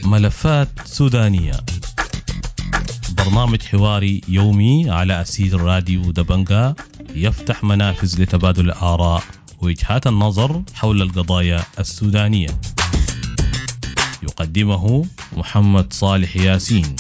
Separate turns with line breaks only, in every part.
ملفات سودانية، برنامج حواري يومي على أسير راديو دبنجا، يفتح منافذ لتبادل الآراء ووجهات النظر حول القضايا السودانية. يقدمه محمد صالح ياسين.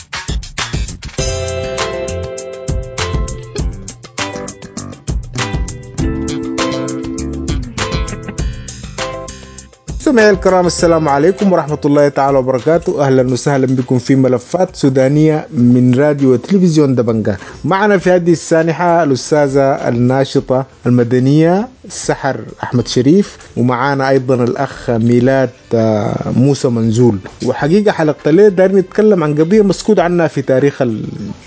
مستمعي الكرام، السلام عليكم ورحمة الله تعالى وبركاته. أهلا وسهلا بكم في ملفات سودانية من راديو وتلفزيون دبنجا. معنا في هذه السانحة الأستاذة الناشطة المدنية سحر أحمد شريف، ومعانا أيضا الأخ ميلاد موسى منزول. وحقيقة حلقة ليه دايرين نتكلم عن قضية مسكوت عنها في تاريخ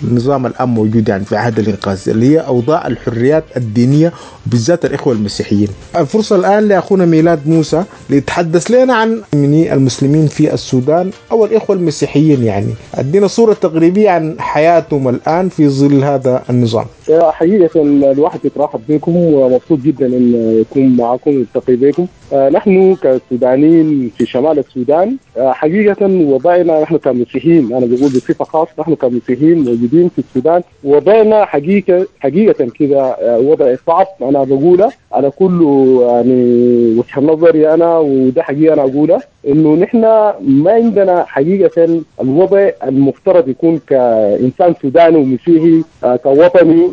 النظام الآن موجود، يعني في عهد الإنقاذ، اللي هي أوضاع الحريات الدينية بالذات الإخوة المسيحيين. الفرصة الآن لأخونا ميلاد موسى ليتحدث لنا عن المسلمين في السودان أو الإخوة المسيحيين، يعني أدينا صورة تقريبية عن حياتهم الآن في ظل هذا النظام.
حقيقة الواحد يترحب بكم ومبسوط جدا أن يكون معكم ويلتقي بكم. نحن كسودانيين في شمال السودان حقيقة وضعنا نحن كمسيحيين، أنا بقول بصفة خاصة نحن كمسيحيين موجودين في السودان، وضعنا حقيقة كده وضع صعب. أنا بقوله على كل يعني وجهة نظري أنا، وده حقيقة أنا أقوله، إنه نحن ما عندنا حقيقة الوضع المفترض يكون كإنسان سوداني ومسيحي كوطني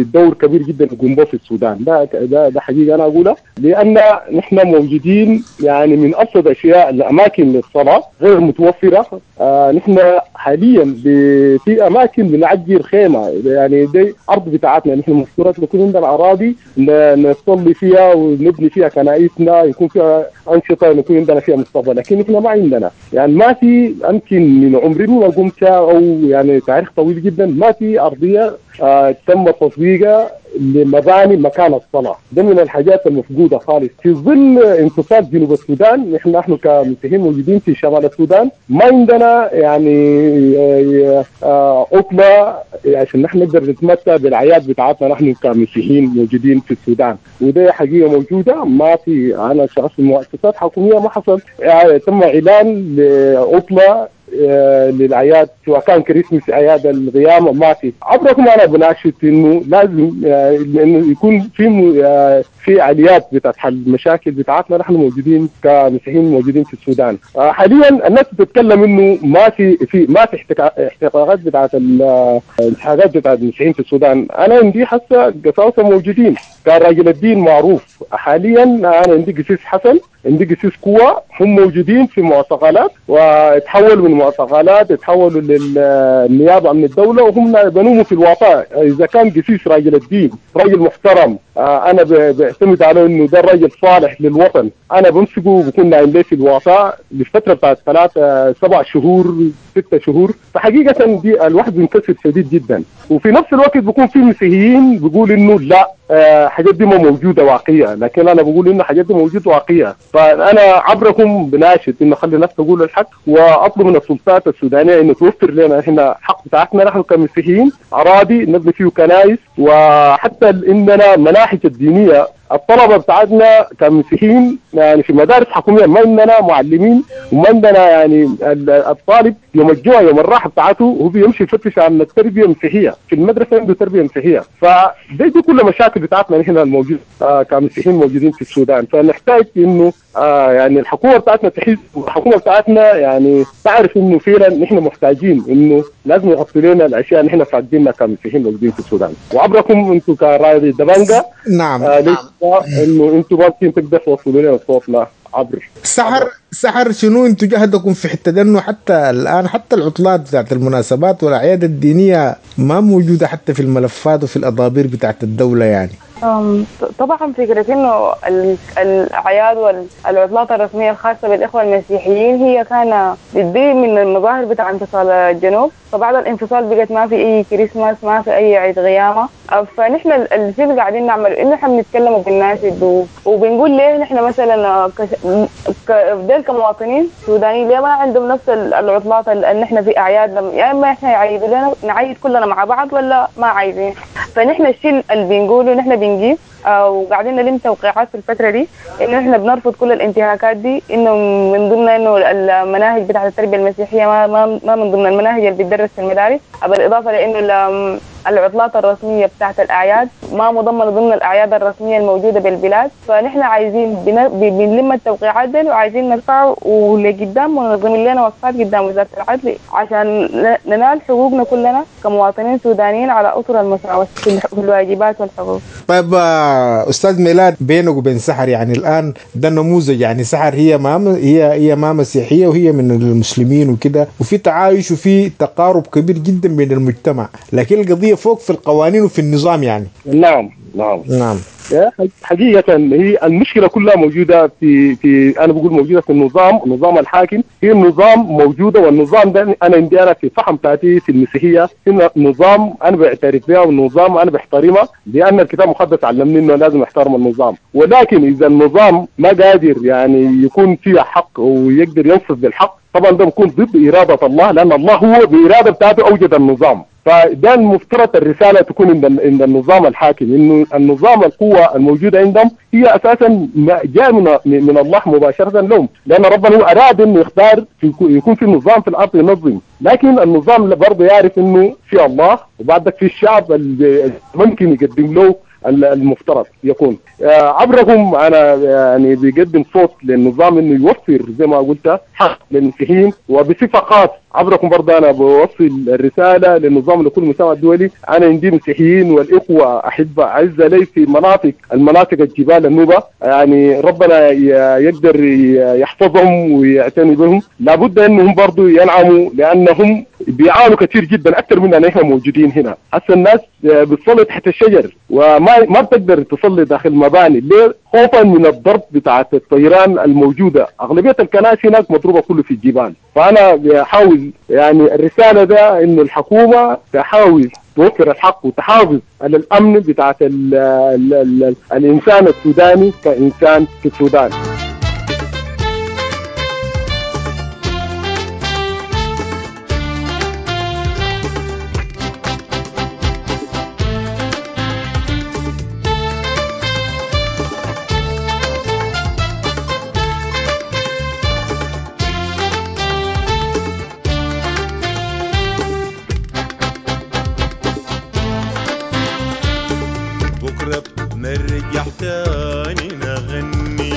دور كبير جدا يقوم به في السودان. ده حقيقة أنا أقوله، لأن نحن موجودين يعني من أبسط أشياء الأماكن للصلاة غير متوفرة. نحن حاليا في أماكن بنعجر خيمة، يعني دي أرض بتاعتنا، نحن مفترض يكون عندنا أراضي نصلي فيها ونبني فيها كنائسنا، يكون فيها أنشطة، يكون عندنا فيها مستقبل، لكن نحن ما عندنا. يعني ما في، يمكن من عمري ما قمت أو يعني تاريخ طويل جدا ما في أرضية تم تطبيقها لمباني مكان الصلاة. ده من الحاجات المفقودة خالص في ظل انفصال جنوب السودان. نحن كمسيحيين موجودين في شمال السودان ما عندنا يعني عطلة عشان نحن نقدر نتمتع بالأعياد بتاعتنا نحن كمسيحيين موجودين في السودان، وده حقيقة موجودة. ما في، أنا شخص في مؤسسات حكومية ما حصل يعني تم إعلان لعطلة للأعياد، سواء كان كريسمس، أعياد القيامة، ما في. عبركم أنا بناشد إنه لازم إنه يكون في آليات بتاعت حل المشاكل بتاعتنا نحن موجودين كمسيحيين موجودين في السودان. حاليا الناس بتتكلم إنه ما في احتقاقات بتاعت الانتهاكات بتاعت المسيحيين في السودان. أنا عندي حتى قساوسة موجودين، كان راجل الدين معروف. حاليا أنا عندي قسيس حسن، عندي قسيس كوا، هم موجودين في معتقلات، وتحولوا من معتقلات تحولوا للنيابة من الدولة، وهم بنوموا في الوطاء. إذا كان قسيس راجل الدين راجل محترم، أنا بعتمد عليه إنه ده الراجل صالح للوطن، أنا بمسكه وبكون نايم ليه في الوطاء لفترة بتاعت 3 7 شهور 6 شهور. فحقيقة دي الواحد بينكسر شديد جدا. وفي نفس الوقت بيكون في مسيحيين بيقول إنه لا، حاجات دي ما موجودة واقعية، لكن أنا بقول إنه حاجات دي موجودة واقعية. فأنا عبركم بناشد إنه خلي الناس تقول الحق، وأطلب من السلطات السودانية إنه توفر لنا إحنا حق بتاعتنا نحن كمسيحيين، أراضي نبني فيه كنائس، وحتى إننا مناهج الدينية الطلبة بتاعتنا كمسيحيين يعني في مدارس حكومية ما عندنا معلمين، وما عندنا يعني الطالب يوم الجوع يوم الراحة بتاعته هو بيمشي يفتش عن التربية المسيحية في المدرسة، عنده تربية مسيحية. فدي كل مشاكل بتاعتنا نحن الموجود كمسيحيين موجودين في السودان. فنحتاج انه يعني الحكومة بتاعتنا تحس، الحكومة بتاعتنا يعني تعرف انه فعلا نحن محتاجين، انه لازم يغطي لنا الاشياء اللي نحن فاقدينها كمسيحيين موجودين في السودان. وعبركم انتم كرايدي دبنجا، نعم، انه انتم ممكن تقدروا توصلوا لنا صوتنا عبر
سحر. شنو انتم جهدكم في حتة انه حتى الان حتى العطلات بتاعت المناسبات والاعياد الدينية ما موجودة حتى في الملفات وفي الاضابير بتاعت الدولة؟ يعني
طبعا فكرة انه الاعياد والعطلات الرسمية الخاصة بالاخوة المسيحيين هي كان بتبين من المظاهر بتاع انفصال الجنوب. فبعد الانفصال بقت ما في اي كريسماس، ما في اي عيد قيامه. فنحن الشيء اللي قاعدين نعمله انه احنا بنتكلم وبنناشد وبنقول ليه نحن مثلا ديل كمواطنين سودانيين ليه ما عندهم نفس العطلات اللي نحن في اعيادنا؟ يا اما احنا يعيدوا لنا نعيد كلنا مع بعض ولا ما عايزين. فنحن الشيء اللي بنقوله نحن بنجيب وقاعدين نلم توقيعات في الفترة دي انه احنا بنرفض كل الانتهاكات دي، انه من ضمن انه المناهج بتاعه التربية المسيحية ما من ضمن المناهج اللي بتدرس في المدارس، بالاضافة لانه العطلات الرسمية بتاعه الاعياد ما مضمنه ضمن الاعياد الرسمية الموجودة بالبلاد. فنحن عايزين بنلم التوقيعات دي وعايزين نرفعه ولقدام وننظم لنا وقفات قدام وزارة العدل عشان ننال حقوقنا كلنا كمواطنين سودانيين على اطر المساواة في الواجبات والحقوق.
طيب استاذ ميلاد، بينك وبين سحر يعني الان ده نموذج، يعني سحر هي ما هي ما مسيحية وهي من المسلمين وكده، وفي تعايش وفي تقارب كبير جدا بين المجتمع، لكن القضية فوق في القوانين وفي النظام يعني.
نعم نعم
نعم.
حقيقة هي المشكلة كلها موجودة في أنا بقول موجودة في النظام، النظام الحاكم. هي النظام موجودة، والنظام ده أنا عندي أنا في فهم بتاعتي في المسيحية إن النظام أنا بعترف بها والنظام أنا بحترمه، لأن الكتاب المقدس علمني إنه لازم أحترم النظام. ولكن إذا النظام ما قادر يعني يكون فيه حق ويقدر ينصف بالحق، طبعا ده بيكون ضد إرادة الله، لأن الله هو بإرادة بتاعته أوجد النظام. فده المفترض الرسالة تكون عند النظام الحاكم، إنه النظام القوة الموجودة عندهم هي أساسا جاء من الله مباشرة لهم، لأن ربنا هو أراد إنه يختار يكون في نظام في الأرض ينظم، لكن النظام برضه يعرف إنه في الله وبعدك في الشعب اللي ممكن يقدم له المفترض يكون عبرهم. انا يعني بيقدم صوت للنظام انه يوفر زي ما قلت حق للمسيحيين، وبصفه خاصة عبركم برضه انا بوصل الرسالة للنظام لكل المجتمع الدولي. انا عندي مسيحيين والاخوة احبه اعزه لي في المناطق الجبال النوبة، يعني ربنا يقدر يحفظهم ويعتني بهم. لابد انهم برضه ينعموا، لانهم بيعانوا كثير جدا اكثر منا نحن موجودين هنا. هسه الناس بتصلي تحت الشجر وما بتقدر تصلي داخل مباني، ليه؟ خوفا من الضرب بتاعت الطيران الموجودة. اغلبية الكنائس هناك مضروبة كله في الجبال. فانا بحاول يعني الرسالة ده انه الحكومة تحاول توفر الحق وتحافظ على الامن بتاعت ال ال ال الانسان السوداني كانسان في السودان.
نرجع تاني نغني،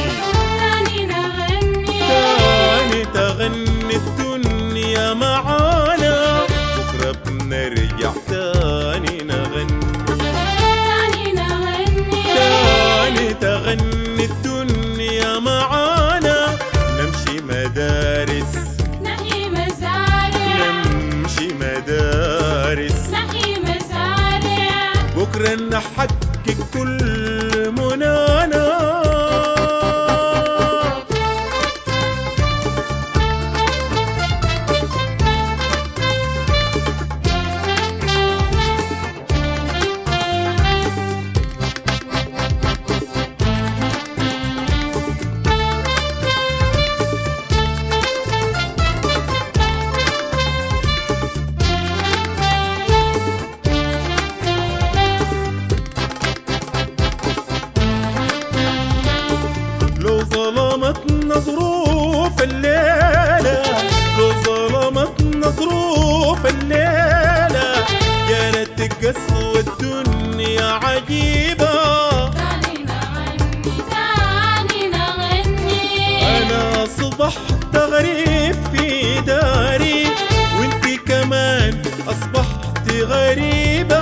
تاني نغني، تاني تغني الدنيا معانا. بكرة بنرجع تاني نغني، تاني نغني، تاني تغني الدنيا معانا. نمشي مدارس، نحيي مزارع، نمشي مدارس، نحيي مزارع. بكرة نحقق كل منانا. ظلمتنا ظروف الليلة، لو ظلمتنا ظروف الليلة، يا ريت قسوة الدنيا عجيبة. تاني نغني، تاني نغني، أنا أصبحت غريب في داري، وانتي كمان أصبحت غريبة.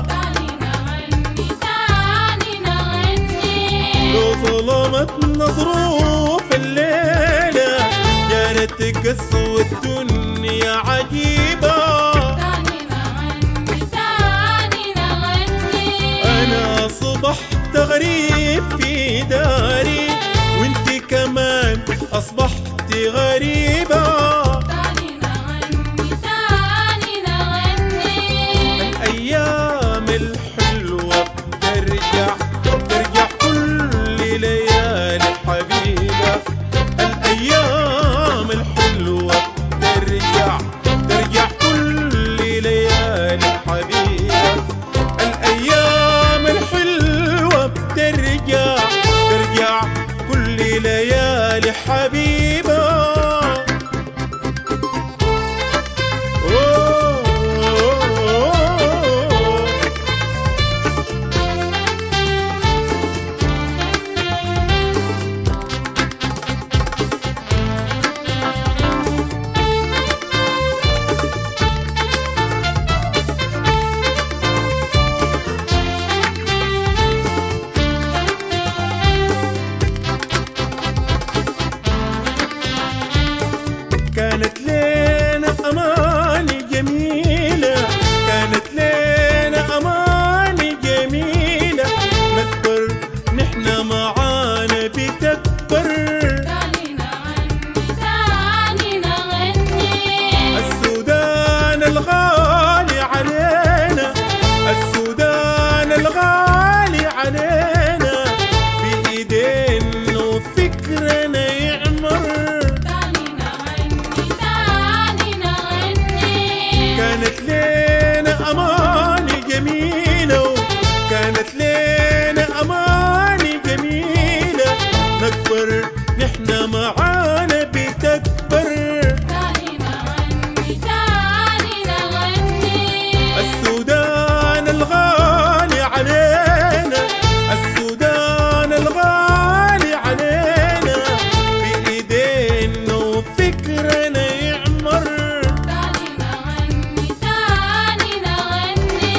تاني نغني، تاني نغني، لو ظلمتنا ظروف الليلة، يا ريت قسوة الدنيا عجيبة. تاني نغني، تاني نغني، أنا أصبحت غريب في داري، وانتي كمان أصبحت غريبة. تاني نغني، تاني نغني، الأيام الحلوة بترجع، ترجع كل ليالي حبيبة. معانا بتكبر.
تاني نغني تاني نغني.
السودان الغالي علينا، السودان الغالي علينا، بإيدينا وفكرنا يعمر.
تاني نغني تاني نغني.
كانت لنا أماني جميلة، كانت لنا أماني جميلة، نكبر نحن معانا بتكبر.
تاني نغني تاني نغني.
السودان الغالي علينا، السودان الغالي علينا، بإيدينا وفكرنا يعمر.
تاني نغني تاني نغني.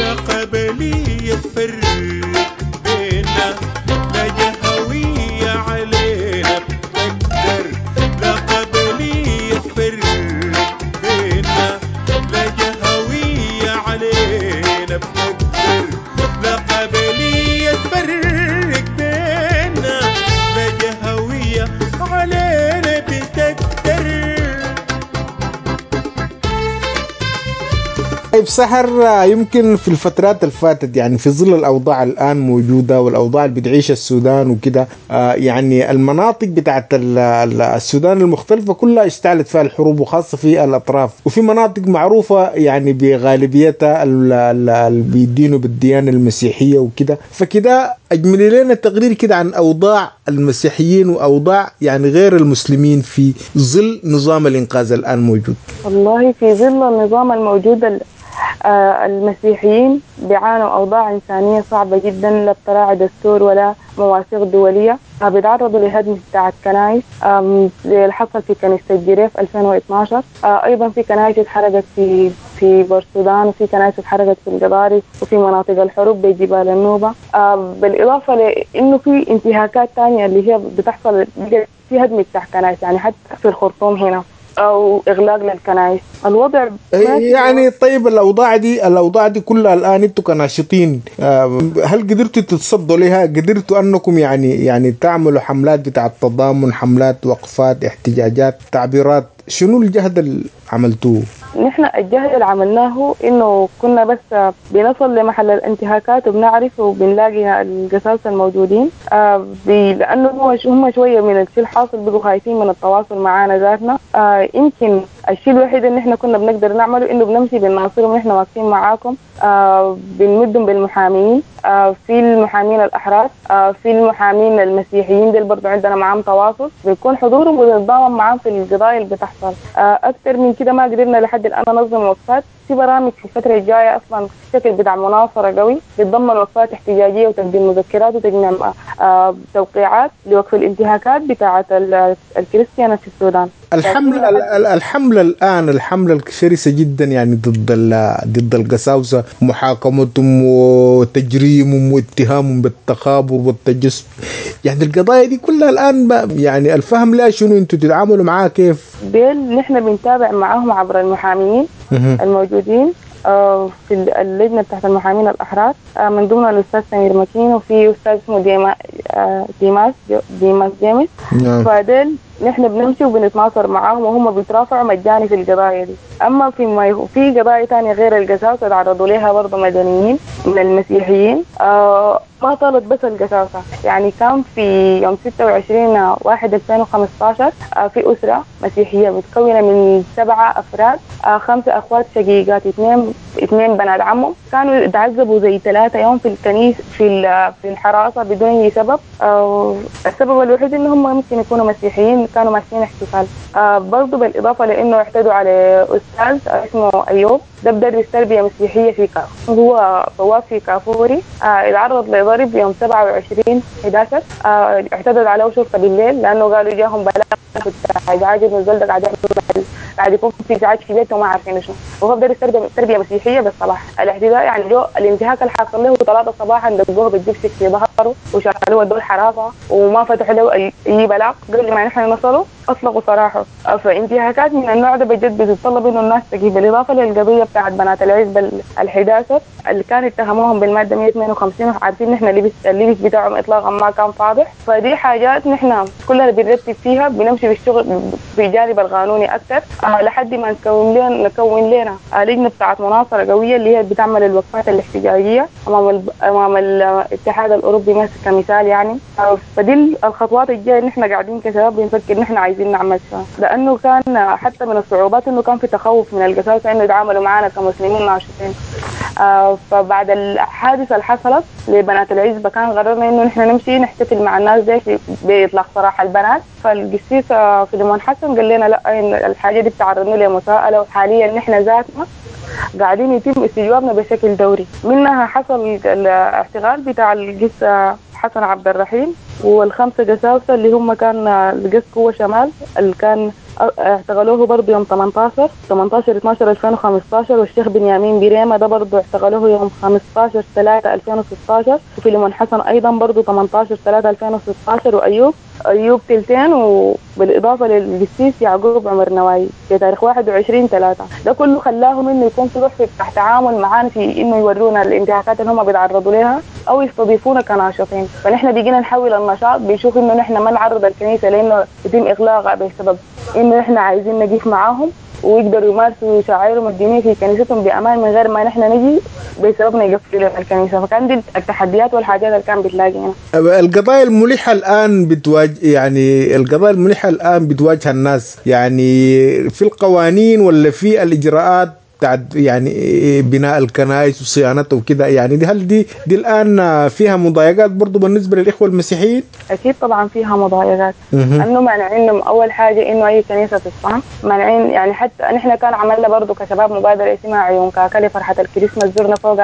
لا قبلية تفرق بينا، لا جهوية علينا بتقدر. لا قبلية تفرق بينا، لا جهوية علينا بتقدر. لا قبلية تفرق بينا، لا جهوية علينا بتقدر.
طيب سحر، يمكن في الفترات اللي فاتت يعني في ظل الأوضاع الآن موجودة والأوضاع اللي بتعيشها السودان وكده، يعني المناطق بتاعت السودان المختلفة كلها اشتعلت فيها الحروب، وخاصة في الأطراف، وفي مناطق معروفة يعني بغالبيتها اللي بيدينوا بالديانة المسيحية وكده. فكده أجملي لنا تقرير كده عن أوضاع المسيحيين وأوضاع يعني غير المسلمين في ظل نظام الإنقاذ الآن موجود.
والله في ظل النظام الموجود المسيحيين بيعانوا أوضاع إنسانية صعبة جدا، لا بتراعي دستور ولا مواثيق دولية. بيتعرضوا لهدم بتاعة كنايس، زي اللي حصل في كنيسة الجريف 2012. أيضا في كنايس اتحرقت في بورسودان، وفي كنايس اتحرقت في القضارف، وفي مناطق الحروب بجبال النوبة. بالإضافة لأنه في انتهاكات تانية اللي هي بتحصل في هدم بتاع كنايس، يعني حتى في الخرطوم هنا، أو إغلاق للكنائس. الوضع
يعني طيب الأوضاع دي كلها الآن أنتم كناشطين، هل قدرتوا تتصدوا لها؟ قدرتوا أنكم يعني تعملوا حملات بتاع التضامن، حملات، وقفات، احتجاجات، تعبيرات؟ شنو الجهد اللي عملتوه؟
نحن الجهد اللي عملناه إنه كنا بس بنصل لمحل الانتهاكات وبنعرف وبنلاقي القساوسة الموجودين، لأنه هم شوية من الشيء الحاصل بقوا خايفين من التواصل معانا ذاتنا. يمكن الشيء الوحيد اللي نحن كنا بنقدر نعمله إنه بنمشي بنناصرهم، ونحن واقفين معاكم، بنمدهم بالمحامين، في المحامين الأحرار، في المحامين المسيحيين دول برضو عندنا معاهم تواصل، بيكون حضورهم وبنتضامن معاهم في القضايا اللي بتحصل. أكثر من كده ما قدرنا لحد الآن ننظم وقفات. في برامج في الفترة الجاية أصلا شكل بتاع مناصرة قوي بيتضمن وقفات احتجاجية وتقديم مذكرات وتجميع توقيعات لوقف الانتهاكات بتاعة الكريستيانة في السودان.
الحملة الآن، الحملة الشرسة جدا يعني ضد القساوسة، محاكمتهم وتجريمهم واتهامهم بالتخابر والتجسس، يعني القضايا دي كلها الآن يعني الفهم لا شنو انتوا تتعاملوا معاه كيف؟
ديل نحن بنتابع معاهم عبر المحامين الموجودين في اللجنة بتاعت المحامين الأحرار، من ضمن الأستاذ سمير مكين، وفي أستاذ اسمه ديماس جيمس. فديل نحن بنمشي وبنتناصر معاهم، وهم بيترافعوا مجاني في القضايا دي. أما في قضايا تانية غير القساوسة تعرضوا لها برضه مدنيين من المسيحيين، ما طالت بس القساوسة. يعني كان في يوم 26/1/2015 في أسرة مسيحية متكونة من 7 أفراد، 5 أخوات شقيقات، 2 بنات عمهم، كانوا تعذبوا زي 3 يوم في الكنيسة في الحراسة بدون أي سبب. السبب الوحيد إنهم ممكن يكونوا مسيحيين، كانوا ماشيين احتفال. برضو بالإضافة لأنه اعتدوا على أستاذ اسمه أيوب، ده بدرس تربية مسيحية في كاف، هو بواب في كافوري. اتعرض لضرب يوم 27/11، اعتدت عليه شرطة بالليل لأنه قالوا جاهم بلاغ ازعاج ابن الزلدة قاعد يكون في ازعاج في بيته وما عارفين شنو، وهو بدرس تربية مسيحية بالصباح. الاعتداء يعني جو الانتهاك اللي حصل له 3 صباحا، دقوه بالجبسك في ظهره وشالوه ودوه الحراسة وما فتحوا له أي بلاغ قبل ما نحن نصل انفصلوا اطلقوا سراحه. فانتهاكات من النوع ده بجد بتتطلب انه الناس تجيب. بالاضافة للقضية بتاعت بنات العزبة ال11 اللي كان اتهموهم بالماده 152، وعارفين نحن اللبس بتاعهم اطلاقا ما كان فاضح. فدي حاجات نحن كلنا بنرتب فيها، بنمشي بالشغل في الجانب القانوني اكثر لحد ما نكون لنا لجنة بتاعت مناصرة قوية اللي هي بتعمل الوقفات الاحتجاجية امام الاتحاد الاوروبي مثلا كمثال يعني. فدي الخطوات الجاية نحن قاعدين كشباب بنفكر نحن عايزين نعمل شنو، لانه كان حتى من الصعوبات انه كان في تخوف من القساوسة انه يتعاملوا معنا كمسلمين ناشطين. فبعد الحادثة اللي حصلت لبنات العزبة كان قررنا انه نحن نمشي نحتفل مع الناس دي باطلاق سراح البنات. فالقسيس فيليمون حسن قال لنا لا، الحاجة دي بتعرضنا لمساءله، وحاليا نحن ذاتنا قاعدين يتم استجوابنا بشكل دوري. منها حصل الاعتقال بتاع القس حسن عبد الرحيم والخمسة قساوسه اللي هم كان القس قوة شمال اللي كان اعتقلوه برضه يوم 18/12/2015، والشيخ بنيامين بريمة ده برضه اعتقلوه يوم 15/3/2016، وفيليمون حسن ايضا برضه 18/3/2016، وايوب تلتين، وبالاضافة للقسيس يعقوب عمر نواي في تاريخ 21/3. ده كله خلاهم انه يكون في ضعف تحت تعامل معانا في انه يورونا الانتهاكات اللي هم بيتعرضوا لها او يستضيفونا كناشطين. فنحن بيجينا نحول النشاط، بنشوف انه نحن ما نعرض الكنيسة لانه يتم اغلاقها بسبب انه نحن عايزين نقيف معاهم ويقدروا يمارسوا شعائرهم الدينية في كنيستهم بامان من غير ما نحن نجي بسببنا يقفلوا لنا الكنيسة. فكان دي التحديات والحاجات اللي كان بتلاقينا.
القضايا الملحة الان بتواجه، يعني القضايا الملحة الان بتواجه الناس يعني في القوانين ولا في الاجراءات بتاعت يعني بناء الكنائس وصيانته وكده، يعني دي هل دي الان فيها مضايقات برضو بالنسبة للاخوة المسيحيين؟
اكيد طبعا فيها مضايقات. انه مانعين اول حاجة انه اي كنيسة تصنع، مانعين يعني. حتى نحن كان عملنا برضو كشباب مبادرة اسمها عيون كاكا لفرحه الكريسماس، زرنا فوق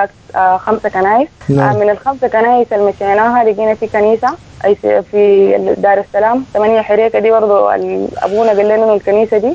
5 كنائس. نعم. من ال5 كنائس اللي مشيناها لقينا في كنيسة في دار السلام 8 حريكه، دي برضو ابونا قال لنا انه الكنيسة دي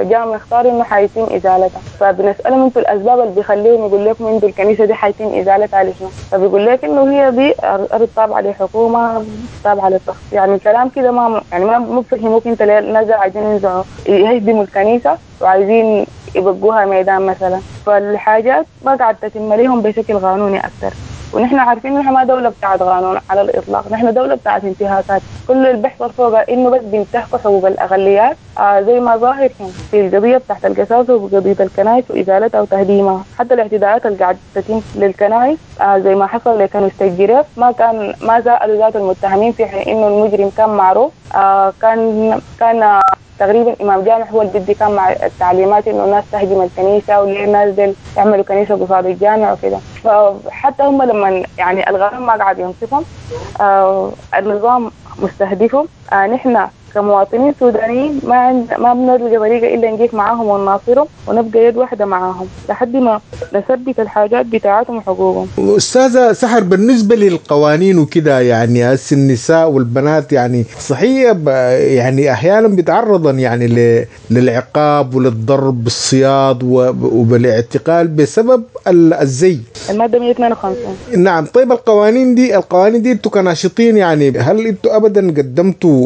جاء مختار انه حيتم ازالتها. فبنسالهم انتوا الاسباب اللي بيخليهم يقول لكم انتوا الكنيسة دي حيتم ازالتها لشنو؟ فبيقول لك انه هي دي ارض تابعه لحكومة تابعه للتخطيط، يعني كلام كده ما يعني ما بفهموك انت ليه الناس عايزين ينزعوا يهدموا الكنيسة وعايزين يبقوها ميدان مثلا. فالحاجات ما قاعد تتم لهم بشكل قانوني اكثر، ونحن عارفين انه ما دولة بتاعت قانون على الإطلاق، نحن دولة بتاعت انتهاكات. كل اللي بيحصل فوقها إنه بس بينتهكوا حقوق الأقليات زي ما ظاهر في القضية بتاعت القساوسة وقضية الكنائس وإزالتها وتهديمها. حتى الاعتداءات اللي قاعدة تتم للكنائس زي ما حصل لكنيسة الجريف، ما سألوا ذات المتهمين في حين إنه المجرم كان معروف. كان تقريبا امام جامع هو اللي بدي كان مع التعليمات انه الناس تهجم الكنيسة وليه الناس دي يعملوا كنيسة قصاد الجامع وكده. فحتى هم لما يعني الغرام ما قاعد ينصفهم، النظام مستهدفهم. نحن كمواطنين سودانيين ما بنلقى طريقه الا نجيك معاهم ونناصرهم ونبقى يد واحدة معاهم لحد ما نثبت الحاجات بتاعتهم وحقوقهم.
استاذه سحر، بالنسبة للقوانين وكده يعني هسه النساء والبنات يعني صحيح يعني احيانا بيتعرضن يعني للعقاب وللضرب بالصياد وبالاعتقال بسبب الزي،
المادة 152.
نعم. طيب القوانين دي انتوا كناشطين يعني هل انتوا ابدا قدمتوا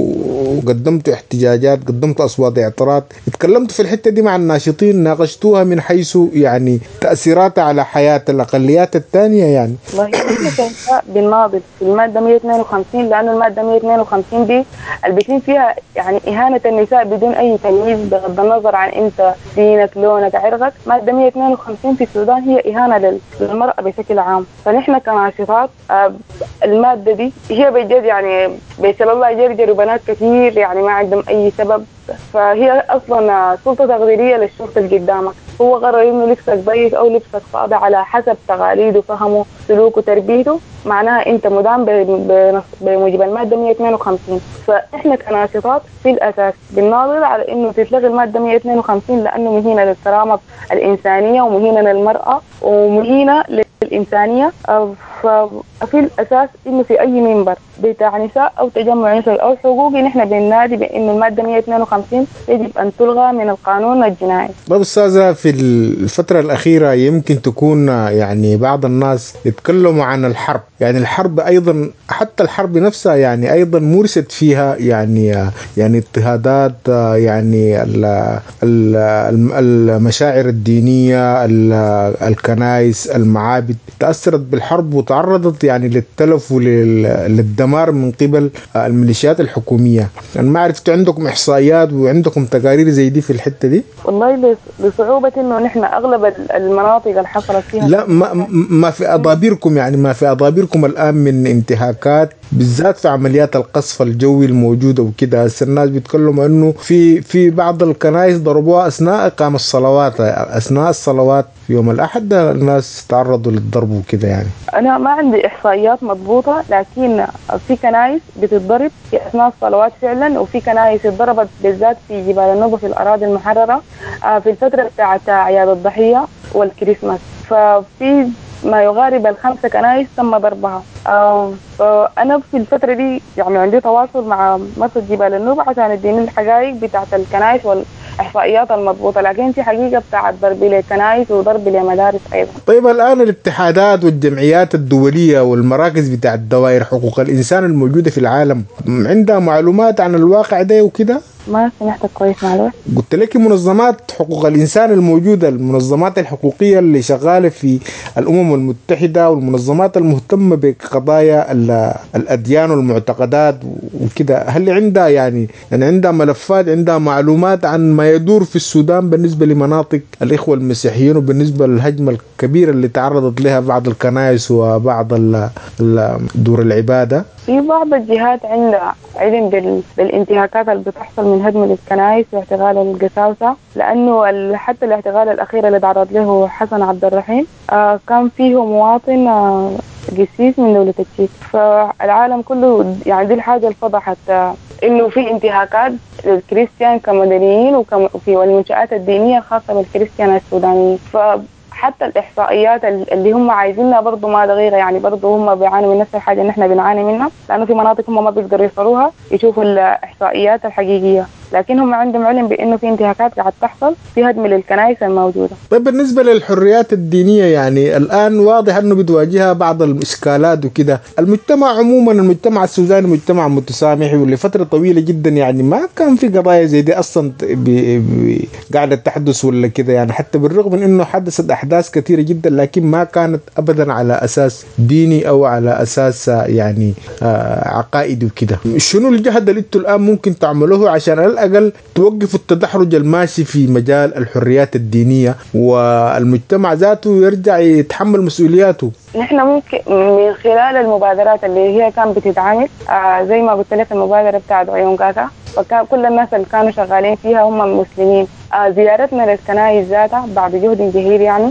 احتجاجات، قدمتوا اصوات اعتراض، اتكلمتوا في الحتة دي مع الناشطين، ناقشتوها من حيث يعني تاثيراتها على حياة الاقليات الثانية؟ يعني
والله احنا بنناضل في المادة 152، لانه المادة 152 دي اللي بيتم فيها يعني اهانه النساء بدون اي تمييز بغض النظر عن انت دينك لونك عرقك. مادة 152 في السودان هي اهانه للمراة بشكل عام. فنحن كناشطات المادة دي هي بجد يعني بسببها جرجروا بنات كثير يعني ما عندهم أي سبب. فهي أصلا سلطة تقديرية للشرطة اللي قدامك، هو قرر إنه لبسك ضيق أو لبسك فاضي على حسب تقاليده فهمه سلوكه تربيته، معناها أنت مدان بموجب المادة 152. فإحنا كناشطات في الأساس بنناضل على إنه تتلغي المادة 152 لأنه مهينة للكرامة الإنسانية ومهينة للمرأة ومهينة للإنسانية. ففي الأساس إنه في أي منبر بتاع نساء أو تجمع نسوي أو حقوقي نحن بننادي بإنه المادة 152 يجب أن تلغى من القانون الجنائي.
طيب أستاذة، في الفترة الأخيرة يمكن تكون يعني بعض الناس يتكلموا عن الحرب، يعني الحرب أيضا حتى الحرب نفسها يعني أيضا مورست فيها يعني اضطهادات، يعني المشاعر الدينية، الكنائس، المعابد تأثرت بالحرب وتعرضت يعني للتلف وللدمار من قبل الميليشيات الحكومية. يعني ما عرفت عندكم إحصائيات وعندكم تقارير زي دي في الحتة دي؟
والله لصعوبة إنه نحن أغلب المناطق اللي حصلت فيها
لا ما في أضابيركم، يعني ما في أضابيركم الآن من انتهاكات بالذات في عمليات القصف الجوي الموجودة وكده. هسه الناس بيتكلموا إنه في بعض الكنائس ضربوها أثناء إقامة الصلوات، أثناء الصلوات في يوم الأحد الناس تعرضوا للضرب وكده. يعني
أنا ما عندي إحصائيات مضبوطة، لكن في كنائس بتتضرب في أثناء الصلوات فعلا، وفي كنائس اتضربت بالذات في جبال النوبة في الأراضي المحررة في الفترة بتاعت أعياد الضحية والكريسماس، ففي ما يقارب 5 كنائس تم ضربها. فأنا في الفترة دي يعني عندي تواصل مع مرصد جبال النوبة عشان يديني الحقائق بتاعت الكنائس والإحصائيات المضبوطة، لكن في حقيقة بتاعت ضرب للكنائس وضرب لمدارس أيضا.
طيب الآن الاتحادات والجمعيات الدولية والمراكز بتاعت دوائر حقوق الإنسان الموجودة في العالم عندها معلومات عن الواقع ده وكده؟
ما سمعتك كويس معلومة.
قلت لك منظمات حقوق الإنسان الموجودة، المنظمات الحقوقية اللي شغالة في الأمم المتحدة والمنظمات المهتمة بقضايا الأديان والمعتقدات وكده، هل عندها يعني عندها ملفات، عندها معلومات عن ما يدور في السودان بالنسبة لمناطق الإخوة المسيحيين وبالنسبة للهجمة الكبيرة اللي تعرضت لها بعض الكنائس وبعض دور العبادة؟
في بعض الجهات عندها علم بالانتهاكات اللي بتحصل من هدم الكنائس واعتقال القساوسة، لأنه حتى الاعتقال الأخير اللي تعرض له حسن عبد الرحيم كان فيه مواطن قسيس من دولة التشيك. فالعالم كله يعني دي الحاجة اللي فضحت إنه في انتهاكات للكريستيان كمدنيين وفي والمنشآت الدينية الخاصة بالكريستيان السودانيين. حتى الإحصائيات اللي هم عايزينها برضو ما دقيقة، يعني برضو هم بيعانوا من نفس الحاجة اللي احنا بنعاني منها، لأنه في مناطق هم ما بيقدروا يوصلوها يشوفوا الإحصائيات الحقيقية، لكن هم عندهم علم بأنه في انتهاكات قاعد تحصل في هدم للكنائس الموجودة.
طيب بالنسبة للحريات الدينية، يعني الآن واضح أنه بتواجهها بعض الإشكالات وكده. المجتمع عموما، المجتمع السوداني مجتمع متسامح، ولفترة طويلة جدا يعني ما كان في قضايا زي دي أصلا قاعدة تحدث ولا كده، يعني حتى بالرغم من أنه حدثت أحداث كثيرة جدا لكن ما كانت أبدا على أساس ديني أو على أساس يعني عقائدي وكده. شنو الجهد اللي انتوا الآن ممكن تعملوه عشان على الأقل توقفوا التدحرج الماشي في مجال الحريات الدينية والمجتمع ذاته يرجع يتحمل مسؤولياته؟
نحن ممكن من خلال المبادرات اللي هي كان بتتعمل زي ما قلت لك المبادرة بتاعت عيون كاكا، فكان كل الناس اللي كانوا شغالين فيها هم مسلمين. زيارتنا للكنائس ذاتها بعد جهد جهيد يعني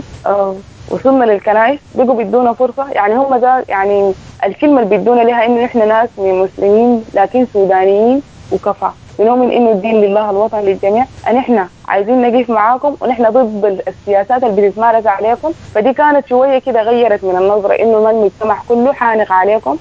وصلنا للكنائس، بقوا بيدونا فرصة، يعني هم يعني الكلمة اللي بيدونا لها إنه إحنا ناس من مسلمين لكن سودانيين وكفى، بنؤمن إنه الدين لله الوطن للجميع، أن إحنا عايزين نقف معاكم ونحن ضد السياسات اللي بتتمارس عليكم. فدي كانت شوية كده غيرت من النظرة إنه ما المجتمع كله حانق عليكم.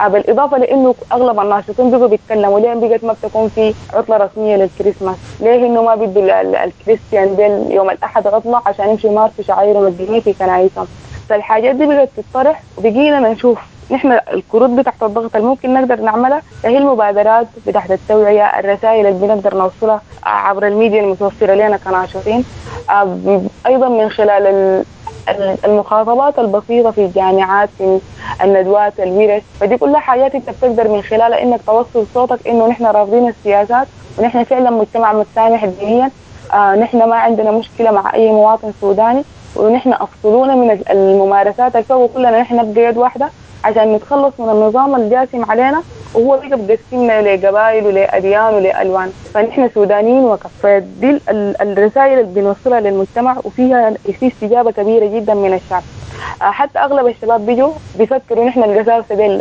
بالإضافة لأنه أغلب الناشطين بقوا بيتكلموا ليه بقت ما بتكون في عطلة رسمية للكريسماس، ليه إنه ما بيدوا الكريستيان ديل يوم الأحد عطلة عشان يمشوا يمارسوا شعائرهم الدينية في كنايسهم. فالحاجات دي بقت تطرح وبقينا نشوف نحن الكروت بتاعت الضغط اللي ممكن نقدر نعملها هي المبادرات بتاعت التوعية، الرسائل اللي بنقدر نوصلها عبر الميديا المتوفرة لنا كناشطين، أيضا من خلال المخاطبات البسيطة في الجامعات، في الندوات، الورش. فدي كلها حاجات انت بتقدر من خلالها انك توصل صوتك انه نحن رافضين السياسات ونحن فعلا مجتمع متسامح دينيا، نحن ما عندنا مشكلة مع اي مواطن سوداني، ونحن افصلونا من الممارسات الفوق، وكلنا نحن نبقى يد واحدة عشان نتخلص من النظام الجاثم علينا وهو بقى بقسمنا لقبائل ولأديان ولألوان، فنحن سودانيين وكف. فدي الرسائل اللي بنوصلها للمجتمع، وفيها في استجابة كبيرة جدا من الشعب. حتى أغلب الشباب بيجوا بيفكروا نحن القساوسة دي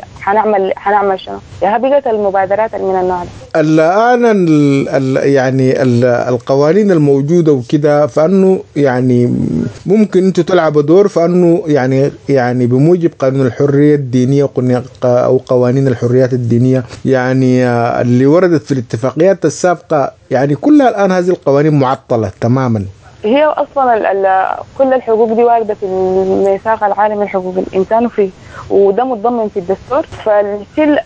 حنعمل شنو. يا بقت المبادرات من النوع ده
الآن يعني القوانين الموجودة وكده، فأنه يعني ممكن أنتوا تلعبوا دور، فأنه يعني بموجب قانون الحرية الدينية أو قوانين الحريات الدينية يعني اللي وردت في الاتفاقيات السابقة، يعني كلها الآن هذه القوانين معطلة تماما.
هي أصلا كل الحقوق دي واردة في الميثاق العالمي لحقوق الإنسان وفيه، وده متضمن في الدستور. فالشيء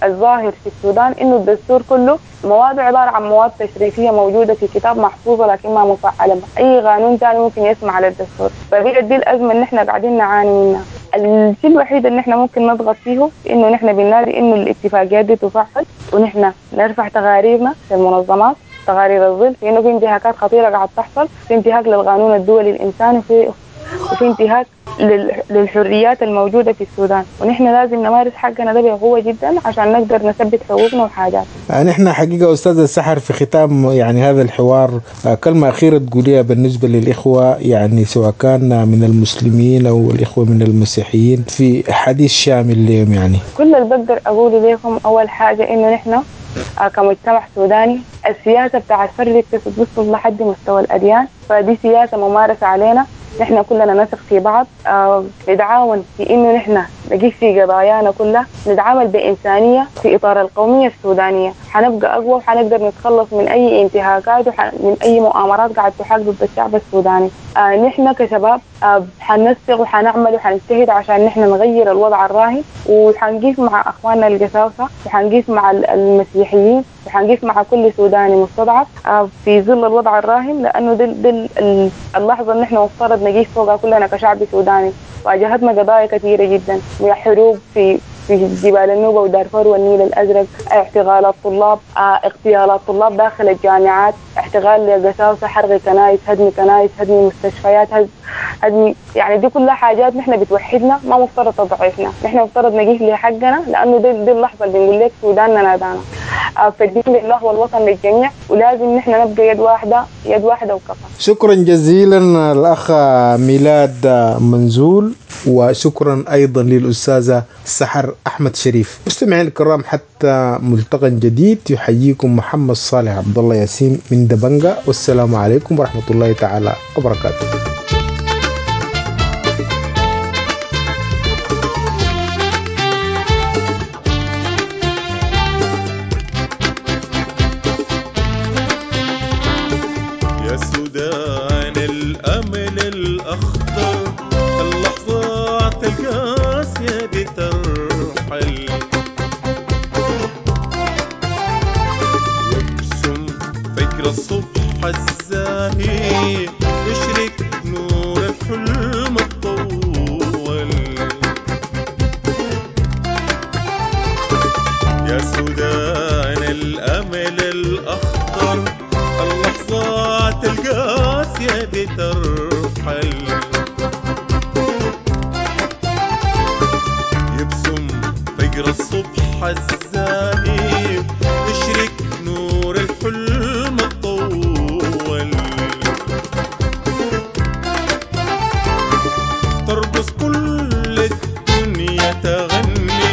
الظاهر في السودان إنه الدستور كله مواد عبارة عن مواد تشريفية موجودة في كتاب محفوظة لكن ما مفعلة، أي قانون تاني ممكن يسمع على الدستور. فبقت دي الأزمة اللي إحنا قاعدين نعاني منها. الشيء الوحيد اللي إحنا ممكن نضغط فيه إنه نحن بننادي إنه الاتفاقيات دي تفعل، ونحن نرفع تقاريرنا في المنظمات، تقارير الظل، في إنه في انتهاكات خطيرة قاعد تحصل، في انتهاك للقانون الدولي الإنساني، وفي انتهاك للحريات الموجودة في السودان، ونحن لازم نمارس حقنا ده بقوة جدا عشان نقدر نثبت حقوقنا وحاجاتنا.
نحن حقيقة أستاذة سحر في ختام يعني هذا الحوار، كلمة أخيرة تقوليها بالنسبة للإخوة، يعني سواء كان من المسلمين أو الإخوة من المسيحيين، في حديث شامل لهم. يعني
كل اللي بقدر أقوله لكم، أول حاجة إنه نحن كمجتمع سوداني السياسة بتاع الفرد بتوصل لحد مستوى الأديان، فدي سياسة ممارسة علينا. نحن كلنا نثق في بعض، نتعاون في إنه نحن نقيس في قضايانا كلها، نتعامل بإنسانية في إطار القومية السودانية. حنبقى أقوى وحنقدر نتخلص من أي انتهاكات ومن أي مؤامرات قاعد تحاك ضد الشعب السوداني. نحن كشباب حننسق وحنعمل وحنجتهد عشان نحن نغير الوضع الراهن، وحنقيف مع أخواننا القساوسة، وحنقيف مع المسيحيين، وحنقيف مع كل سوداني مستضعف في ظل الوضع الراهن، لأنه دي اللحظة اللي نحن مفترض نقيف فوقها كلنا كشعب سوداني. واجهتنا قضايا كثيرة جدا، حروب في جبال النوبة ودارفور والنيل الأزرق، اعتقالات طلاب، اغتيالات طلاب داخل الجامعات، اعتقال لقساوسة، حرق كنايس، هدم كنايس، هدم مستشفيات، هدم، يعني دي كلها حاجات نحن بتوحدنا، ما مفترض تضعفنا، نحن مفترض نقيف لحقنا، لأنه دي اللحظة اللي بنقول لك سوداننا نادانا. فالدين لله والوطن للجميع، ولازم نحن نبقى يد واحدة، يد واحدة وكفى.
شكرا جزيلا الأخ ميلاد منزول، وشكرا أيضا للأستاذة سحر أحمد شريف. مستمعين الكرام، حتى ملتقى جديد، يحييكم محمد صالح عبد الله ياسين من دبنجة، والسلام عليكم ورحمة الله تعالى وبركاته.
يا سودان الأمل الأخضر، اللحظات القاسية دي ترحل، يبسم فجر الصبح الزاهي، يشرق نور الحلم الطول. يا سودان الأمل الأخضر، اللحظات القاسية دي ترحل، يبسم فجر الصبح الزاهي، يشرق نور الحلم الطول. ترقص كل الدنيا تغني،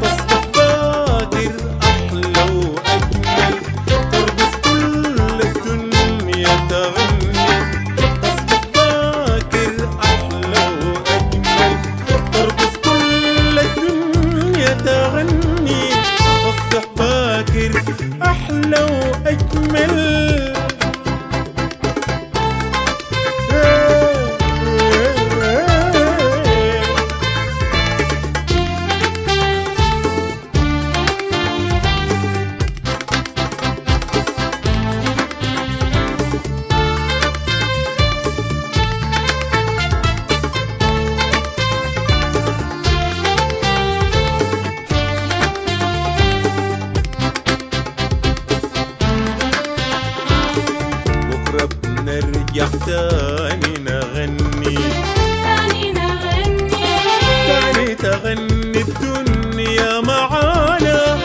تصبح باكر أحلى وأجمل. ترقص كل الدنيا تغني، تصبح باكر أحلى وأجمل. ترقص كل الدنيا تغني، تصبح باكر أحلى وأجمل. بكرة بنرجع تاني نغني،
تاني نغني،
تاني تغني الدنيا معانا.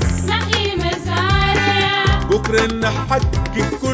مدارس
نحيي مزارع
بكرة نحقق كل